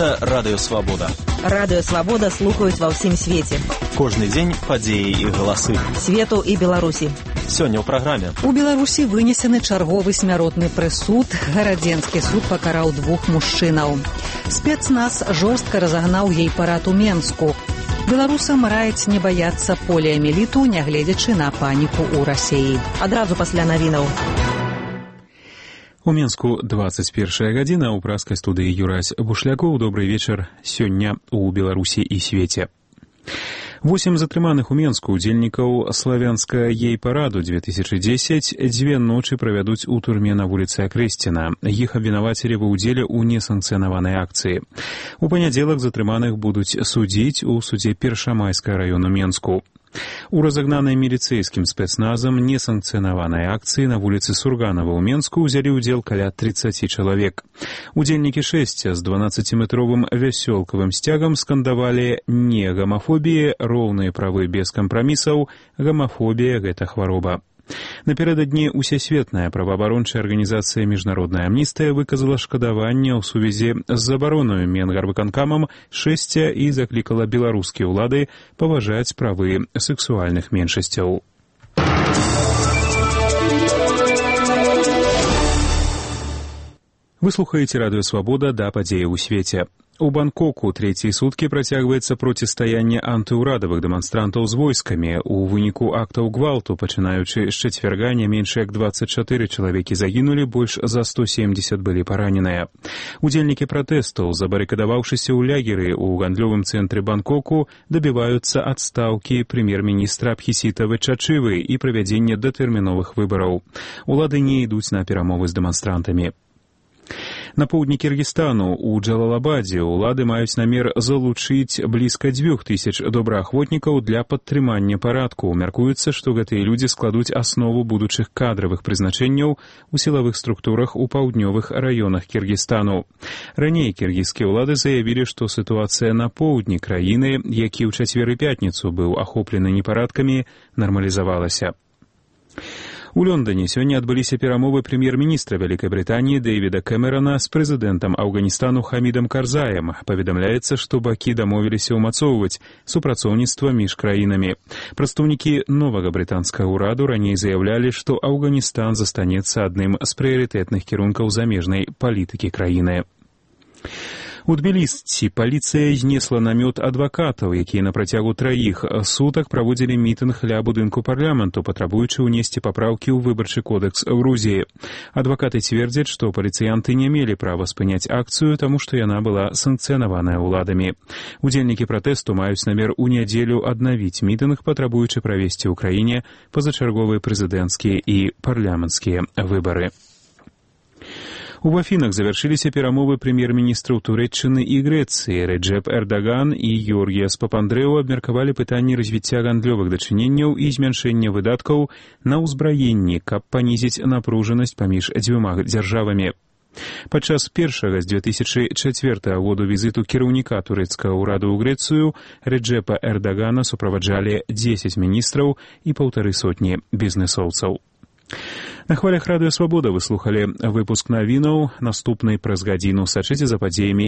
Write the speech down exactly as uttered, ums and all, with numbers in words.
Гэта Радыё Свабода. Радыё Свабода слухаюць ва ўсім свеце. Кожны дзень падзеі і галасы. Свету і Беларусі. Сёння ў праграме. У Беларусі вынесены чарговы смяротны прысуд. Гарадзенскі суд пакараў двух мужчынаў. Спецназ жорстка разагнаў гей-парад у Менску. Беларусам раіць не баяцца поліамеліту, нягледзячы на паніку ў Расіі. Адразу пасля навінаў. У Менску двадцать первая гадзіна, у праскай студыі Юрась Бушлякоў. Добрый вечар. Сёння у Беларусі і свеце. Восем затрыманых у Менску удзельнікаў славянскага гей-параду две тысячи десять дзве ночы правядуць у турме на вуліцы Акрэсціна. Іх абвінавацілі ва ўдзеле ў несанкцыянаванай акцыі. У панядзелак затрыманых будуць судзіць у судзе Першамайскага раёну Менску. У разагнанай міліцэйскім спецназам несанкцыянаванай акцыі на вуліцы Сурганава ў Менску ўзялі ўдзел каля тридцать чалавек. Удзельнікі шэсця з дванаццаціметровым вясёлкавым сцягам скандавалі «Не гамафобіі, роўныя правы без кампрамісаў, гамафобія – гэта хвароба». Напярэдадні усесветная праваабарончая арганізацыя «Міжнародная амністыя» выказала шкадаванне ў сувязі з забаронаю Менгарвыканкамам шэсця і заклікала беларускія ўлады паважаць правы сексуальных меншасцяў. Вы слухаеце Радыё Свабода, да падзеі ў свеце. У Бангкоку трэція суткі працягваецца процістаянне антыўрадавых дэманстрантаў з войскамі. У выніку актаў гвалту, пачынаючы з чацвярга, не менш як двадцать чатыры чалавекі загінулі, больш за сто семьдесят былі параненыя. Удзельнікі пратэстаў, забарыкадаваўшыся ў лягеры ў гандлёвым цэнтры Бангкоку, дабіваюцца адстаўкі прэм'ер-міністра Абхісіта Вычачывы і правядзення датэрміновых выбараў. Улады не ідуць на перамовы з дэманстрантамі. На поўдні Кіргізстану у Джалалабадзе ўлады маюць намер залучыць блізка дзвюх тысяч добраахвотнікаў для падтрымання парадку. Мяркуецца, што гэтыя людзі складуць аснову будучых кадравых прызначэнняў у сілавых структурах у паўднёвых раёнах Кіргізстану. Раней кіргізскія ўлады заявілі, што сітуацыя на поўдні краіны, які ў чацвер і пятніцу быў ахоплены непарадкамі, нармалізавалася. У Лондоне сёння адбыліся перамовы прэм'ер-міністра Вялікай Брытаніі Дэвіда Кэмерана з прэзідэнтам Афганістану Хамідам Карзаем. Паведамляецца, што бакі дамовіліся ўмацоўваць супрацоўніцтва між краінамі. Прадстаўнікі новага брытанскага ўраду раней заявлялі, што Афганістан застанецца адным з прыярытэтных кірункаў замежнай палітыкі краіны. У Тбілісі паліцыя знесла намёт адвакатаў, якія на працягу траіх сутак праводзілі мітынг ля будынку парламенту, патрабуючы ўнесці папраўкі ў выбарчы кодэкс Грузіі. Адвакаты цвердзяць, што паліцыянты не мелі права спыняць акцыю, таму што яна была санкцыянаваная ўладамі. Удзельнікі пратэсту маюць намер у нядзелю аднавіць мітынг, патрабуючы правесці ў краіне пазачарговыя прэзідэнцкія і парламенцкія выбары. У Афінах завяршыліся перамовы прэм'ер-міністраў Турэччыны і Грэцыі. Реджеп Эрдаган і Георгіяс Папандрэу абмеркавалі пытанні развіцця гандлёвых дачыненняў і змяншэння выдаткаў на ўзбраенні, каб панізіць напружанасць паміж дзвюма дзяржавамі. Падчас першага з две тысячи чацвёртага году візіту кіраўніка турэцкага ўраду ў Грэцыю Реджепа Эрдагана суправаджалі дзесяць міністраў і паўтары сотні бізнэсоўцаў. На хвалях Радыё Свабода вы слухалі выпуск навінаў. Наступны праз гадзіну сачыце за падзеямі